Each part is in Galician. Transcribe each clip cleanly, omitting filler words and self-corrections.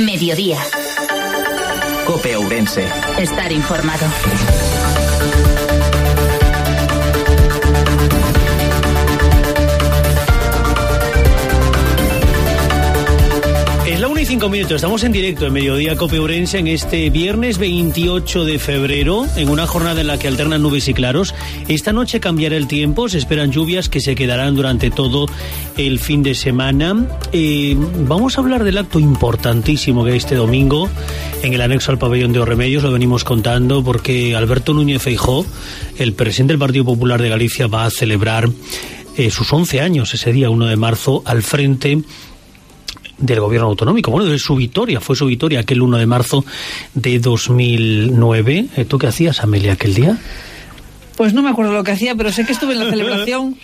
Mediodía. COPE Ourense. Estar informado. Es la 1:05, estamos en directo en Mediodía COPE Ourense en este viernes 28 de febrero, en una jornada en la que alternan nubes y claros. Esta noche cambiará el tiempo, se esperan lluvias que se quedarán durante todo el fin de semana. Vamos a hablar del acto importantísimo que hay este domingo en el anexo al pabellón de Os Remedios, lo venimos contando porque Alberto Núñez Feijóo, el presidente del Partido Popular de Galicia, va a celebrar sus 11 años ese día 1 de marzo al frente del gobierno autonómico. Bueno, fue su victoria aquel 1 de marzo de 2009. ¿Tú qué hacías, Amelia, aquel día? Pues no me acuerdo lo que hacía, pero sé que estuve en la celebración.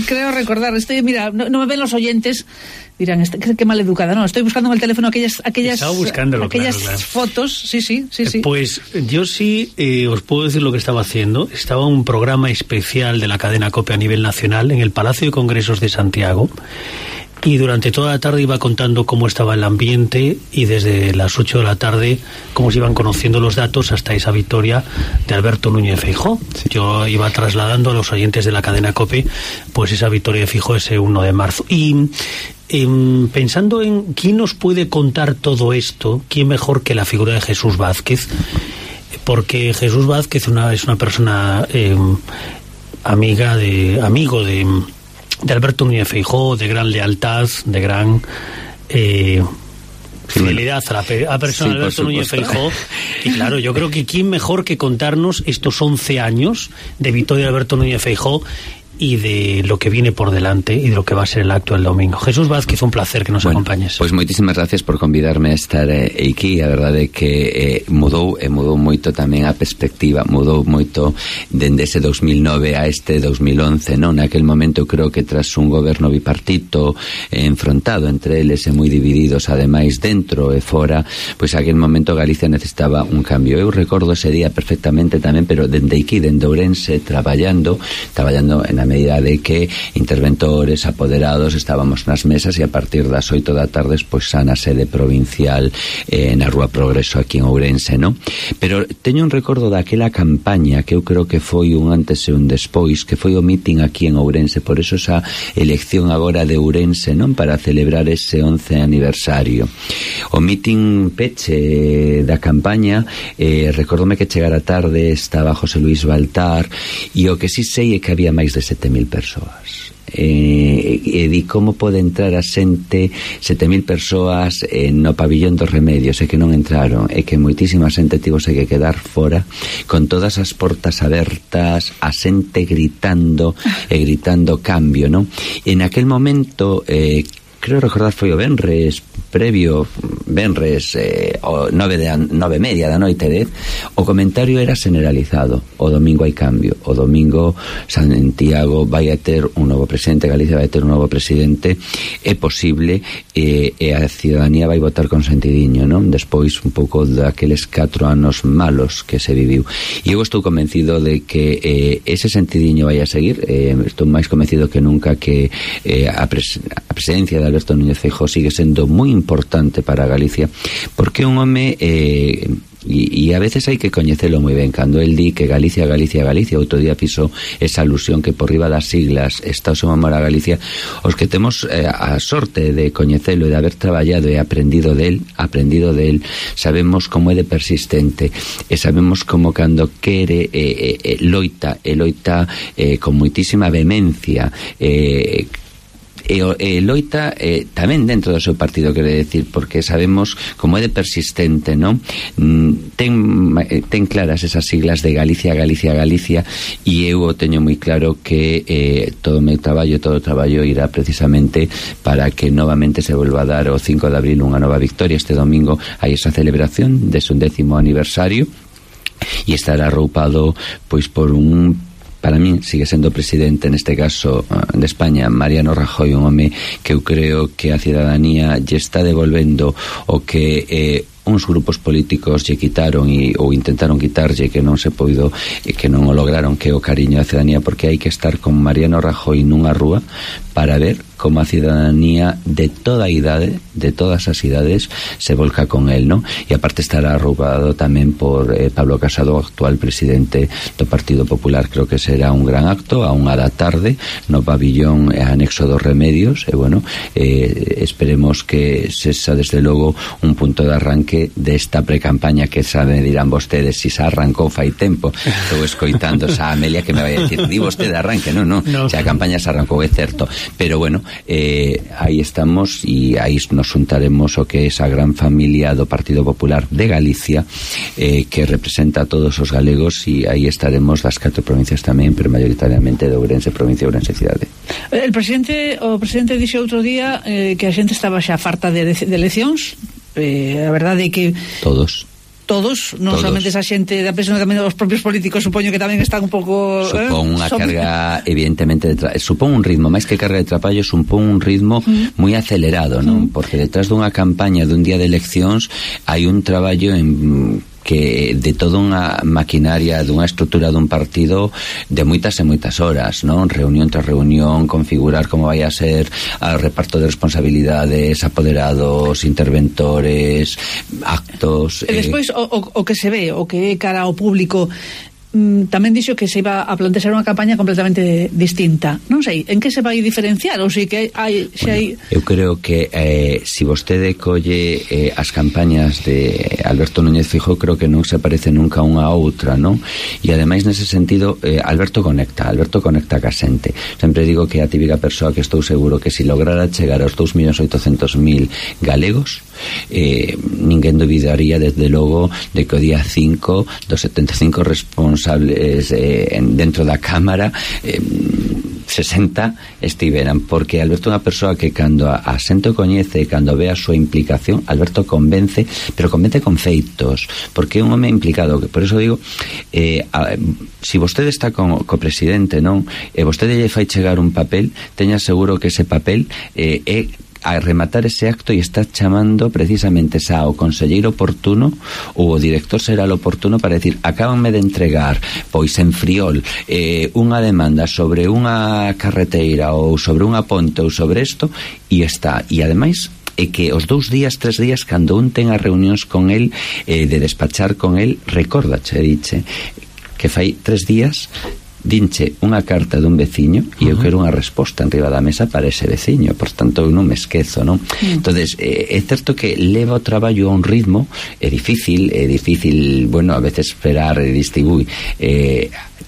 Creo recordar. Mira, no me ven los oyentes. Dirán, qué mal educada. No, estoy buscando en el teléfono aquellas fotos. Sí. Pues yo sí os puedo decir lo que estaba haciendo. Estaba un programa especial de la cadena COPE a nivel nacional en el Palacio de Congresos de Santiago. Y durante toda la tarde iba contando cómo estaba el ambiente, y desde las 8 de la tarde cómo se iban conociendo los datos hasta esa victoria de Alberto Núñez Feijóo. Sí. Yo iba trasladando a los oyentes de la cadena COPE pues esa victoria de Feijóo ese 1 de marzo. Y pensando en quién nos puede contar todo esto, quién mejor que la figura de Jesús Vázquez, porque Jesús Vázquez es una persona amigo de Alberto Núñez Feijóo, de gran lealtad, de gran fidelidad a la persona de Alberto Núñez Feijóo. Y claro, yo creo que quién mejor que contarnos estos 11 años de victoria de Alberto Núñez Feijóo y de lo que viene por delante e de lo que va a ser el acto del domingo. Jesús Vázquez, un placer que nos acompañes. Pois moitísimas gracias por convidarme a estar aquí. A verdade é que mudou moito tamén a perspectiva, mudou moito dende ese 2009 a este 2011, non? Naquel momento creo que tras un goberno bipartito enfrontado entre eles e moi divididos ademais dentro e fora, pois aquel momento Galicia necesitaba un cambio. Eu recordo ese día perfectamente tamén, pero dende aquí, dende Ourense, traballando na medida de que interventores, apoderados, estábamos nas mesas, e a partir das 8 da tarde pois xa na sede provincial na Rúa Progreso aquí en Ourense, non? Pero teño un recordo daquela campaña que eu creo que foi un antes e un despois, que foi o meeting aquí en Ourense, por eso esa elección agora de Ourense, non? Para celebrar ese 11 aniversario. O meeting peche da campaña, recordome que chegara tarde, estaba José Luis Baltar, e o que sí sei é que había máis de 7.000 persoas. E di como pode entrar a xente, 7.000 persoas no pabillón dos Remedios, e que non entraron, e que moitísima xente tivose que quedar fora con todas as portas abertas, a xente gritando cambio, non? E naquel momento creo recordar foi o venres o 9:30 da noite, o comentario era generalizado: o domingo hai cambio, o domingo Santiago vai a ter un novo presidente, Galicia vai a ter un novo presidente, é posible, e a ciudadanía vai votar con sentidiño, non? Despois un pouco daqueles 4 anos malos que se viviu, e eu estou convencido de que ese sentidiño vai a seguir. Estou máis convencido que nunca que a presidencia de Alberto Núñez Feijóo sigue sendo moi importante para Galicia, porque un home e a veces hai que coñecelo moi ben. Cando el di que Galicia, outro día fixo esa alusión que por riba das siglas está o seu amor a Galicia. Os que temos a sorte de coñecelo e de haber traballado e aprendido del, sabemos como é de persistente, e sabemos como cando quere loita con moitísima vehemencia, e loita tamén dentro do seu partido, quero decir, porque sabemos como é de persistente, non? Ten claras esas siglas de Galicia, e eu o teño moi claro que todo o traballo irá precisamente para que novamente se volva a dar o 5 de abril unha nova victoria. Este domingo hai esa celebración de su 10º aniversario, e estará arroupado pois por un, para mí sigue sendo presidente neste caso de España, Mariano Rajoy, un home que eu creo que a cidadanía lle está devolvendo o que uns grupos políticos lle quitaron ou intentaron quitarlle, que non se poido, que non o lograron, que o cariño da cidadanía, porque hai que estar con Mariano Rajoy nunha rúa para ver como a cidadanía de toda idade, de todas as idades, se volca con el, ¿no? E aparte estará arroupado tamén por Pablo Casado, actual presidente do Partido Popular. Creo que será un gran acto a 1:00 da tarde no pabillón anexo dos Remedios, e bueno, esperemos que sexa desde logo un punto de arranque desta precampaña que sabe, dirán vostedes, si se arrancou fai tempo. Estou escoitando a Amelia que me vai a decir, di vostede arranque, non, se a campaña se arrancou, é certo, pero bueno, aí estamos e aí nos juntaremos o que é esa gran familia do Partido Popular de Galicia, que representa a todos os galegos, e aí estaremos das 4 provincias tamén, pero mayoritariamente de Ourense provincia e Ourense cidade. O presidente dixo outro día que a xente estaba xa farta de eleccións. A verdade é que todos, non somente esa xente da presión, tamén os propios políticos, supoño que tamén están un pouco... Supón unha carga, evidentemente, supón un ritmo, máis que carga de traballo, supón un ritmo moi acelerado, non? Porque detrás dunha campaña dun día de eleccións hai un traballo que de toda unha maquinaria, dunha estrutura dun partido de moitas e moitas horas, non? Reunión tras reunión, configurar como vai a ser o reparto de responsabilidades, apoderados, interventores, actos... E despois o que se ve, o que é cara ao público, tamén dixo que se iba a plantear unha campaña completamente distinta. Non sei, en que se vai diferenciar? Ou sei que hai... Eu creo que si vostede colle as campañas de Alberto Núñez Feijóo, creo que non se parece nunca unha a outra, non? E ademais nese sentido Alberto conecta ca xente. Sempre digo que a típica persoa que estou seguro que si lograra chegar aos 2.800.000 galegos, ninguén dubidaría desde logo de que o día 5 dos 75 responsables dentro da Cámara 60 estiveran, porque Alberto é unha persoa que cando a xente o coñece, cando ve a súa implicación, Alberto convence, pero convence con feitos, porque é un home implicado. Por eso digo, si vostede está co presidente, non, e vostede lle fai chegar un papel, teña seguro que ese papel é a rematar ese acto e está chamando precisamente xa o conselleiro oportuno ou o director será o oportuno para decir, acábanme de entregar pois en Friol unha demanda sobre unha carreteira ou sobre unha ponte ou sobre isto, e está, e ademais é que os 2 días, 3 días cando un ten as reunións con el, de despachar con el, recórdache, diche que fai 3 días dinche unha carta dun veciño e eu quero unha resposta enriba da mesa para ese veciño, por tanto eu non me esquezo, non? Entonces é certo que leva o traballo a un ritmo, é difícil, bueno, a veces esperar e distribuir,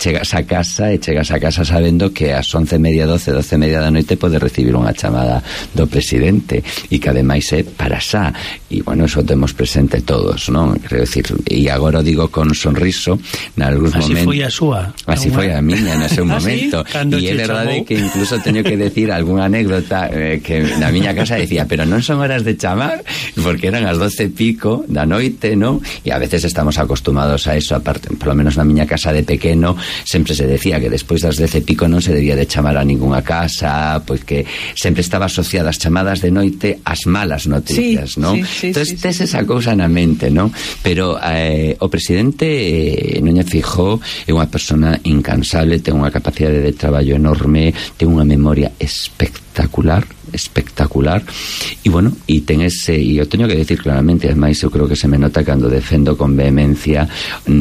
chegas a casa sabendo que ás 11:30, 12:30 da noite pode recibir unha chamada do presidente e que ademais é para xa, e bueno, eso temos presente todos, non? Quero decir, e agora digo con sonriso nalgúns momentos. Así foi a súa. Así foi a miña nese momento. E é verdade que incluso teño que decir algunha anécdota que na miña casa decía, pero non son horas de chamar, porque eran as 12:00 da noite, non? E a veces estamos acostumados a eso, aparte, polo menos na miña casa de pequeno sempre se decía que despois das 10:00 non se debía de chamar a ningunha casa, pois que sempre estaba asociada as chamadas de noite ás malas noticias, non? Entón, tes esa cousa na mente, non? Pero o presidente Núñez Feijóo é unha persona incansable, ten unha capacidade de traballo enorme, ten unha memoria espectacular, e bueno, e ten ese, e eu teño que decir claramente, ademais eu creo que se me nota cando defendo con vehemencia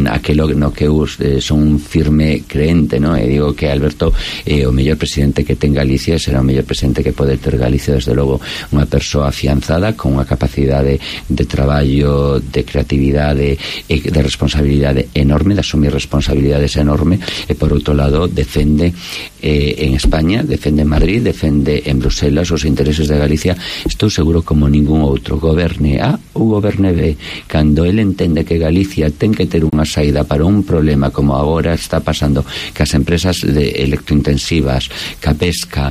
aquelo no que eu son un firme creente, non? E digo que Alberto é o mellor presidente que ten Galicia, será o mellor presidente que pode ter Galicia, desde logo unha persoa afianzada con unha capacidade de traballo, de creatividade e de responsabilidade enorme, de asumir responsabilidades enorme, e por outro lado defende en España, defende en Madrid, defende en Bruselas os intereses de Galicia, estou seguro como ningún outro, goberne A ou goberne B, cando ele entende que Galicia ten que ter unha saída para un problema como agora está pasando, que as empresas electrointensivas, ca pesca,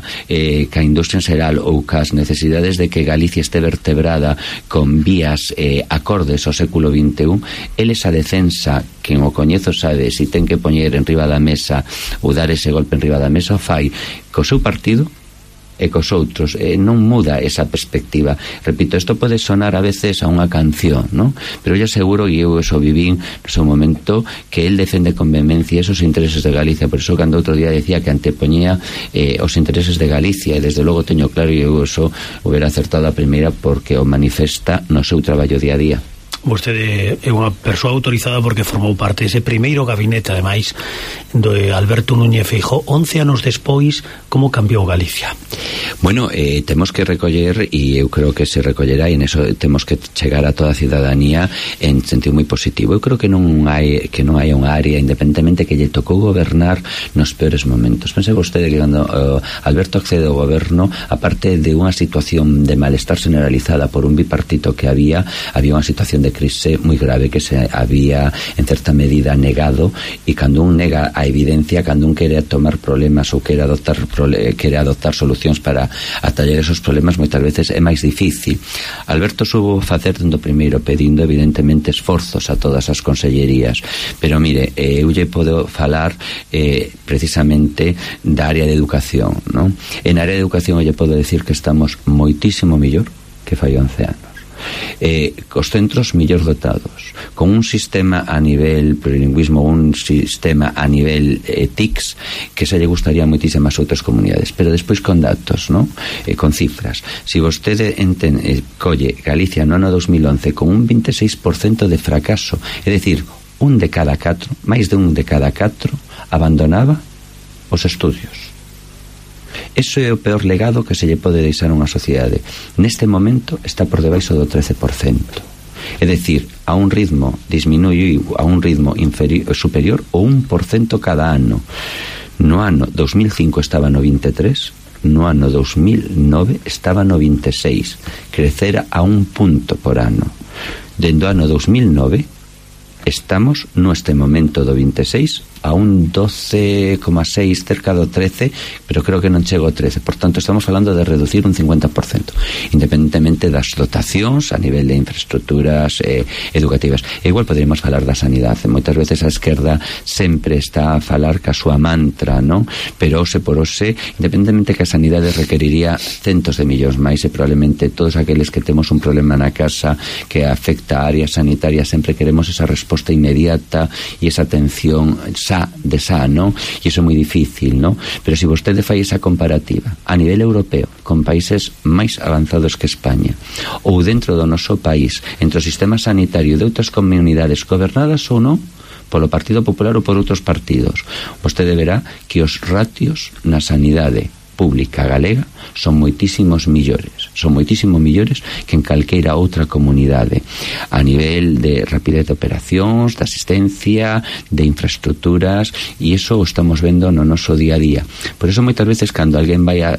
ca industria en xeral ou cas necesidades de que Galicia este vertebrada con vías acordes ao século XXI, ele esa defensa, quen o coñezo sabe, se ten que poñer en riba da mesa ou dar ese golpe en riba da mesa, o fai co seu partido, e cos outros, non muda esa perspectiva. Repito, isto pode sonar a veces a unha canción, ¿no? Pero eu seguro, e eu eso vivín no seu momento, que el defende con vehemencia esos intereses de Galicia. Por eso cando outro día decía que antepoñía os intereses de Galicia, e desde logo teño claro, e eu eso hubiera acertado a primeira porque o manifesta no seu traballo día a día. Vostede é unha persoa autorizada porque formou parte dese primeiro gabinete, ademais, do Alberto Núñez Feijóo. 11 anos despois, como cambiou Galicia? Bueno, temos que recoller, e eu creo que se recollerá, e en eso temos que chegar a toda a cidadanía en sentido moi positivo. Eu creo que non hai unha área, independentemente que lle tocou gobernar nos peores momentos. Pense vostede que cando Alberto accede ao goberno, aparte de unha situación de malestar generalizada por un bipartito que había unha situación de crise moi grave que se había en certa medida negado, e cando un nega a evidencia, cando un quere tomar problemas ou quere adoptar solucións para atallar esos problemas, moitas veces é máis difícil. Alberto subo facer dende o primeiro, pedindo evidentemente esforzos a todas as consellerías, pero mire, eu lle podo falar precisamente da área de educación, non? En área de educación eu lle podo decir que estamos moitísimo mellor que fai 11 anos. Cos centros mellor dotados, con un sistema a nivel plurilingüismo, un sistema a nivel TICS que se lle gustaría moitísimas outras comunidades, pero despois con datos, ¿no? Con cifras. Si vostede colle Galicia no ano 2011 con un 26% de fracaso, é dicir, máis de un de cada 4 abandonaba os estudios. Eso é o peor legado que se lle pode deixar a unha sociedade. Neste momento está por debaixo do 13%. É dicir, a un ritmo disminuíu a un ritmo superior o 1% cada ano. No ano 2005 estaba no 23%, no ano 2009 estaba no 26%. Crecera a 1 punto por ano. Dende o ano 2009 estamos neste momento do 26% a un 12,6, cerca do 13, pero creo que non chego ao 13. Por tanto, estamos falando de reducir un 50%, independentemente das dotacións a nivel de infraestructuras educativas. E igual poderíamos falar da sanidade. Moitas veces a esquerda sempre está a falar ca súa mantra, non? Pero ose por ose, independentemente que a sanidade requeriría centos de millóns máis, e probablemente todos aqueles que temos un problema na casa que afecta a área sanitaria sempre queremos esa resposta inmediata e esa atención non? E iso é moi difícil, non? Pero se vostede fai esa comparativa a nivel europeo con países máis avanzados que España, ou dentro do noso país, entre o sistema sanitario de outras comunidades gobernadas ou non polo Partido Popular ou por outros partidos, vostede verá que os ratios na sanidade pública galega son moitísimo millores que en calqueira outra comunidade a nivel de rapidez de operacións, de asistencia, de infraestructuras, e iso o estamos vendo no noso día a día. Por eso moitas veces cando alguén vai a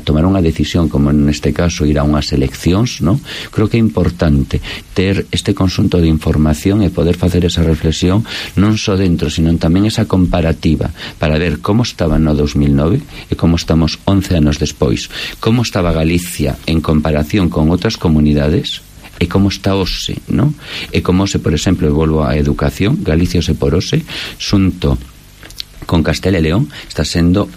tomar unha decisión, como neste caso ir a unhas eleccións, ¿no? Creo que é importante ter este conxunto de información e poder facer esa reflexión non só dentro, sino tamén esa comparativa para ver como estaba no 2009 e como estamos 11 anos despois, como estaba Galicia en comparación con outras comunidades e como está hoxe, ¿no? E como hoxe, por exemplo, volvo á educación, Galicia hoxe por hoxe, xunto con Castela e León, está sendo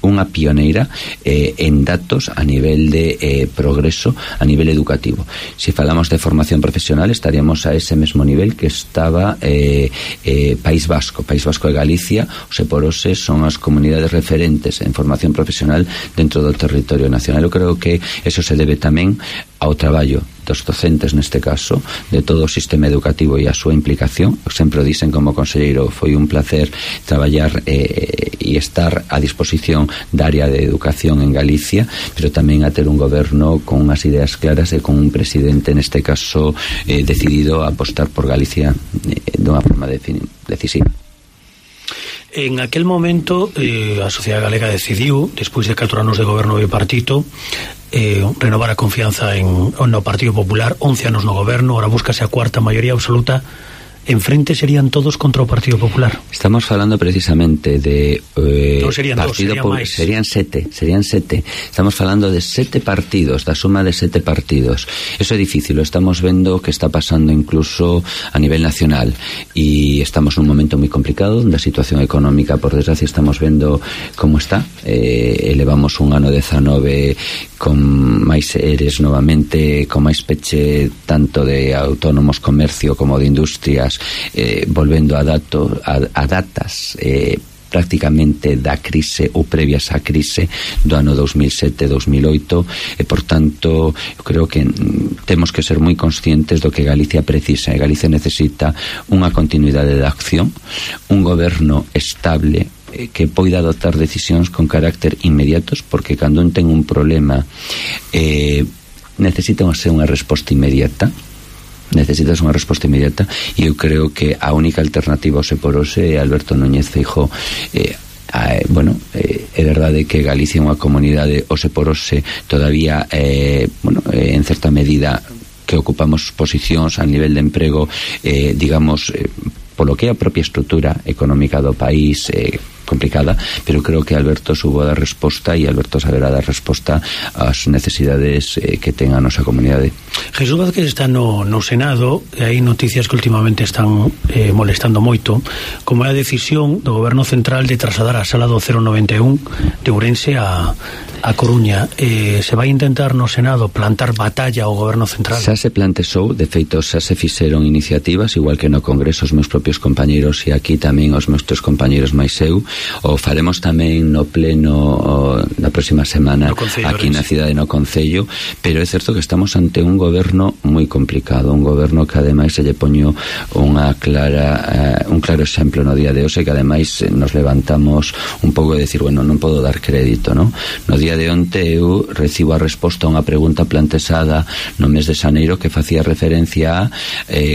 unha pioneira en datos a nivel de progreso a nivel educativo. Se falamos de formación profesional, estaríamos a ese mesmo nivel que estaba País Vasco e Galicia, ose por ose son as comunidades referentes en formación profesional dentro do territorio nacional. Eu creo que eso se debe tamén ao traballo dos docentes, neste caso, de todo o sistema educativo e a súa implicación. Sempre o dicen como conselleiro, foi un placer traballar e estar a disposición da área de educación en Galicia, pero tamén a ter un goberno con unhas ideas claras e con un presidente, neste caso, decidido a apostar por Galicia dunha forma decisiva. En aquel momento a sociedade galega decidiu, despois de 4 anos de goberno bipartito, renovar a confianza no Partido Popular. 11 anos no goberno, ahora búscase a cuarta maioría absoluta enfrente serían todos contra o Partido Popular. Estamos falando precisamente de non serían Partido dos, serían sete. Estamos falando de 7 partidos, da suma de 7 partidos. Eso é difícil, lo estamos vendo que está pasando incluso a nivel nacional, e estamos nun momento moi complicado onde a situación económica, por desgracia, estamos vendo como está. Elevamos un ano 19 con máis eres novamente, con máis peche tanto de autónomos, comercio como de industrias, volvendo a datas prácticamente da crise ou previas á crise do ano 2007-2008, e por tanto eu creo que temos que ser moi conscientes do que Galicia precisa. Galicia necesita unha continuidade de acción, un goberno estable que poida adoptar decisións con carácter inmediatos, porque cando un ten un problema necesita ser unha resposta inmediata. Necesitas unha resposta inmediata, e eu creo que a única alternativa ao Seporose é Alberto Núñez Feijóo. É verdade que Galicia é unha comunidade, o Seporose todavía en certa medida que ocupamos posicións a nivel de emprego, polo que é a propia estrutura económica do país, complicada, pero creo que Alberto subo a dar resposta, e Alberto saberá dar resposta ás necesidades que ten a nosa comunidade. Jesús Vázquez está no Senado, e hai noticias que últimamente están molestando moito, como é a decisión do Goberno Central de trasladar a sala do 091 de Ourense a Coruña. Se vai intentar no Senado plantar batalla ao Goberno Central? Xa se plantexou, de feito xa se fixeron iniciativas, igual que no Congreso os meus propios compañeiros, e aquí tamén os meus tres compañeiros máis eu. O faremos tamén no pleno na próxima semana aquí na cidade, no Concello, pero é certo que estamos ante un goberno moi complicado, un goberno que ademais se lle poño un claro exemplo no día de hoxe, que ademais nos levantamos un pouco de decir, non podo dar crédito, no día de onte eu recibo a resposta a unha pregunta plantexada no mes de xaneiro que facía referencia a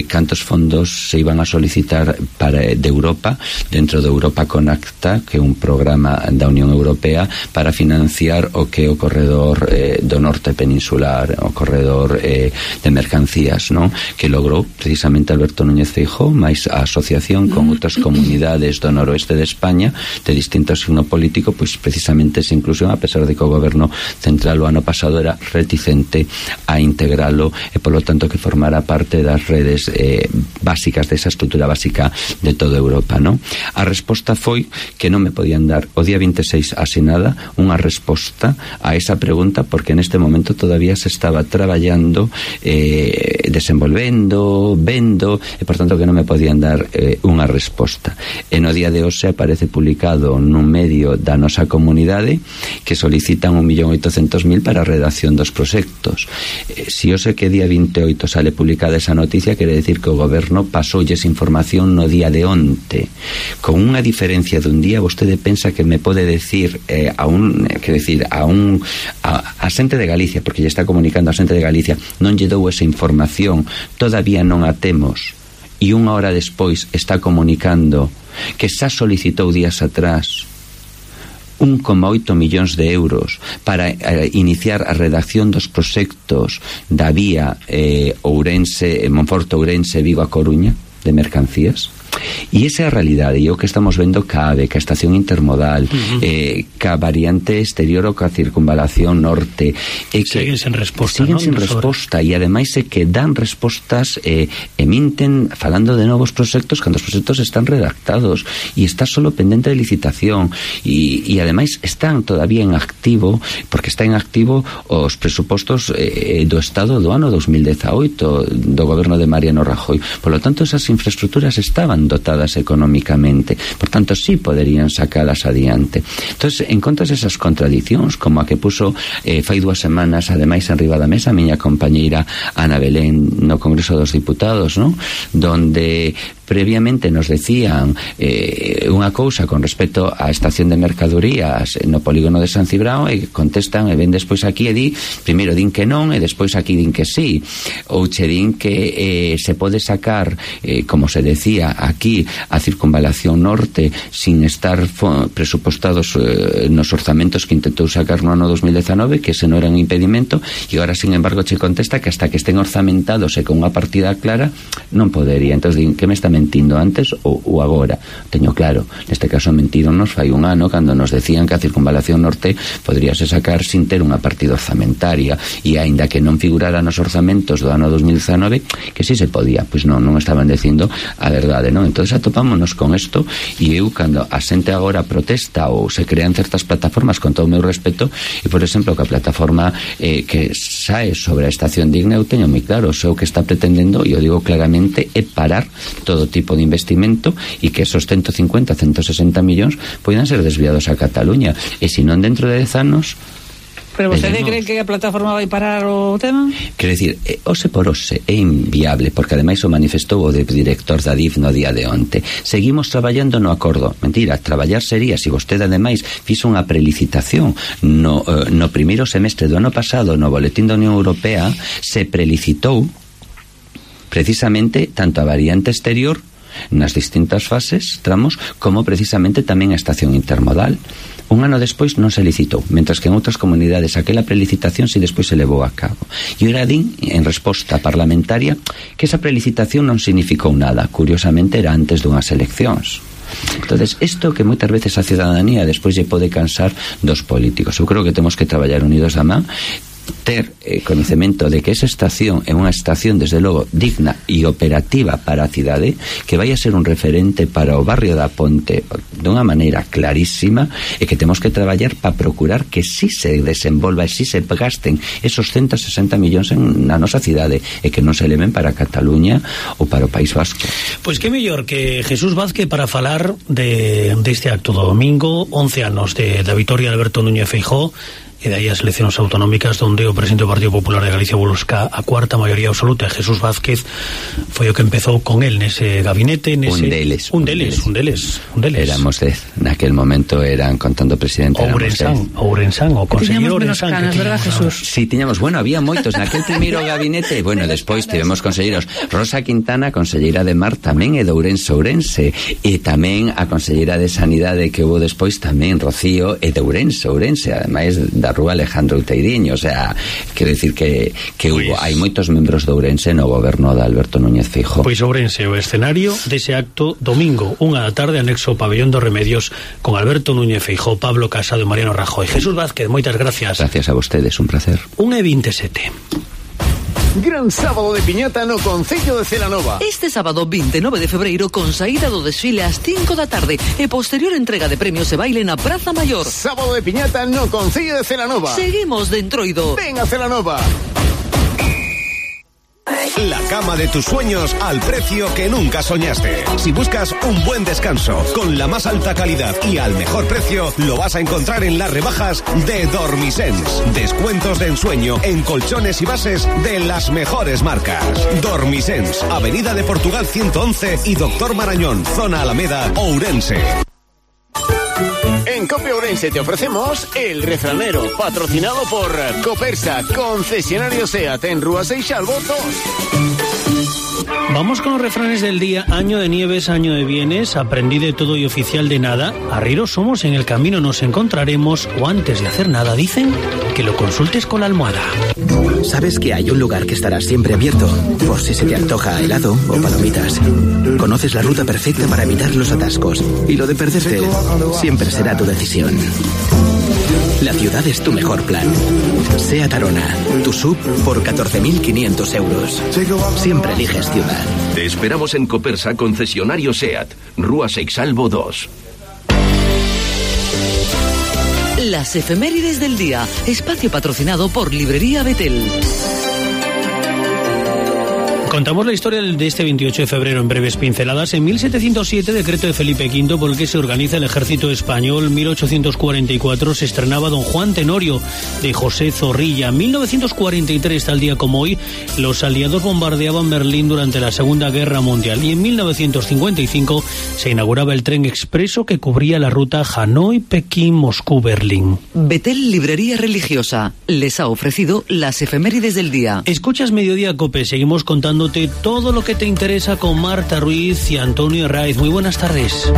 cantos fondos se iban a solicitar de Europa, dentro de Europa Conecta, que é un programa da Unión Europea para financiar o que é o corredor do norte peninsular, o corredor de mercancías, que logrou precisamente Alberto Núñez Feijóo máis a asociación con outras comunidades do noroeste de España de distinto signo político, pois precisamente esa inclusión, a pesar de que o goberno central o ano pasado era reticente a integralo, e polo tanto que formara parte das redes básicas, desa estrutura básica de toda Europa. A resposta foi que non me podían dar o día 26 asinada unha resposta a esa pregunta, porque neste momento todavía se estaba traballando, desenvolvendo, vendo, e por tanto que non me podían dar unha resposta. E no día de hoxe aparece publicado nun medio da nosa comunidade que solicitan 1.800.000 para a redacción dos proxectos. Si hoxe que día 28 sale publicada esa noticia, quere decir que o goberno pasoulles información no día de onte. Con unha diferencia dun día, vostede pensa que me pode decir a xente de Galicia, porque lle está comunicando a xente de Galicia, non lle dou esa información, todavía non a temos, e unha hora despois está comunicando que xa solicitou días atrás 1,8 millóns de euros para iniciar a redacción dos proxectos da vía Monforte-Ourense, Vigo a Coruña de mercancías. E esa é a realidade, e o que estamos vendo CAVE, que a estación intermodal, ca variante exterior ou ca circunvalación norte, siguen sen resposta, e ademais é que dan respostas eminten falando de novos proxectos cando os proxectos están redactados e está solo pendente de licitación, e ademais están todavía en activo, porque está en activo os presupostos do Estado do ano 2018 do goberno de Mariano Rajoy. Por lo tanto, esas infraestructuras estaban dotadas económicamente, por tanto sí poderían sacalas adiante. Entonces, en contas esas contradicións, como a que puso fai 2 semanas ademais en riba da mesa a miña compañeira Ana Belén no Congreso dos Diputados, donde previamente nos decían unha cousa con respecto á estación de mercadorías no polígono de San Cibrao, e contestan e ven despois aquí e primeiro din que non e despois aquí din que sí, ou che din que se pode sacar, como se decía aquí, a circunvalación norte sin estar presupostados nos orzamentos que intentou sacar no ano 2019, que ese non era un impedimento, e agora sin embargo che contesta que hasta que estén orzamentados e con unha partida clara non podería. Entón din, que me está mentindo antes ou agora. Teño claro, neste caso mentironos fai un ano cando nos decían que a circunvalación norte poderíase sacar sin ter unha partida orzamentaria, e aínda que non figurara nos orzamentos do ano 2019 que si se podía, pois non estaban dicindo a verdade, non? Entonces atopámonos con isto, e eu cando a xente agora protesta ou se crean certas plataformas, con todo o meu respeto, e por exemplo que a plataforma que sae sobre a estación digna, eu teño moi claro, o que está pretendendo, e eu digo claramente, é parar todo tipo de investimento e que esos 150, 160 millóns poidan ser desviados a Cataluña, e se non dentro de 10 anos. Pero vostede cree que a plataforma vai parar o tema? Quero dicir, ose por ose é inviable, porque ademais o manifestou o director da DIF no día de onte. Seguimos traballando no acordo. Mentira, traballar sería se vostede ademais fixo unha prelicitación no primeiro semestre do ano pasado no boletín da Unión Europea, se prelicitou precisamente tanto a variante exterior nas distintas fases, tramos, como precisamente tamén a estación intermodal. Un ano despois non se licitou, mentras que en outras comunidades aquela prelicitación si despois se levou a cabo. E ora din, en resposta parlamentaria, que esa prelicitación non significou nada. Curiosamente era antes dunhas eleccións. Entonces, isto que moitas veces a ciudadanía despois lle pode cansar dos políticos. Eu creo que temos que traballar unidos da man, ter coñecemento de que esa estación é unha estación desde logo digna e operativa para a cidade, que vai a ser un referente para o barrio da Ponte dunha maneira clarísima, e que temos que traballar para procurar que si se desenvolva e si se gasten esos 160 millóns na nosa cidade, e que non se eleven para Cataluña ou para o País Vasco. Pois que mellor que Jesús Vázquez para falar deste acto do domingo, 11 anos da vitoria de Alberto Núñez Feijóo, e de aí as eleccións autonómicas onde o presidente do Partido Popular de Galicia busca a cuarta maioría absoluta. Jesús Vázquez foi o que empezou con él nese gabinete, un deles. Éramos 10, naquel momento eran, contando o presidente, Ourensán, o conselleiro Ourensán, canas, verdad, Jesús? Sí, tiñamos, había moitos naquel primeiro gabinete. Despois tivemos conselleiros Rosa Quintana, conselleira de Mar, tamén é de Ourense, e tamén a conselleira de Sanidade que hubo despois tamén, Rocío, é de Ourense, ademais da Rúa Alejandro Teiriño. O sea, quero dicir que hai moitos membros de Ourense no goberno de Alberto Núñez Feijóo. Pois Ourense o escenario dese acto domingo, 1:00 p.m, anexo ao Pabellón dos Remedios, con Alberto Núñez Feijóo, Pablo Casado e Mariano Rajoy. Jesús Vázquez, moitas gracias. Gracias a vostedes, un placer. 1:27. Gran sábado de piñata no Concello de Celanova. Este sábado 29 de febreiro, con saída do desfile ás 5 da tarde e posterior entrega de premios e baile na Praza Maior. Sábado de piñata no Concello de Celanova. Seguimos de Entroido. Ven a Celanova. La cama de tus sueños al precio que nunca soñaste. Si buscas un buen descanso con la más alta calidad y al mejor precio, lo vas a encontrar en las rebajas de Dormisens. Descuentos de ensueño en colchones y bases de las mejores marcas. Dormisens, Avenida de Portugal 111 y Doctor Marañón, zona Alameda, Ourense. En Cope Ourense te ofrecemos El Refranero, patrocinado por Copersa, concesionario SEAT en Rúa Seixalbo 2. Vamos con los refranes del día. Año de nieves, año de bienes, aprendí de todo y oficial de nada. Arrieros somos, en el camino nos encontraremos, o antes de hacer nada dicen que lo consultes con la almohada. Sabes que hay un lugar que estará siempre abierto, por si se te antoja helado o palomitas. Conoces la ruta perfecta para evitar los atascos, y lo de perderte siempre será tu decisión. La ciudad es tu mejor plan. SEAT Arona, tu SUV por 14.500 euros. Siempre eliges ciudad. Te esperamos en Copersa, concesionario SEAT, Rúa Seixalbo 2. Las efemérides del día, espacio patrocinado por Librería Betel. Contamos la historia de este 28 de febrero en breves pinceladas. En 1707, decreto de Felipe V por el que se organiza el ejército español. 1844 se estrenaba Don Juan Tenorio de José Zorrilla. 1943, tal día como hoy, los aliados bombardeaban Berlín durante la Segunda Guerra Mundial. Y en 1955 se inauguraba el tren expreso que cubría la ruta Hanoi, Pekín, Moscú, Berlín. Betel Librería Religiosa les ha ofrecido las efemérides del día. Escuchas Mediodía Cope, seguimos contándote todo lo que te interesa con Marta Ruiz y Antonio Herraiz. Muy buenas tardes.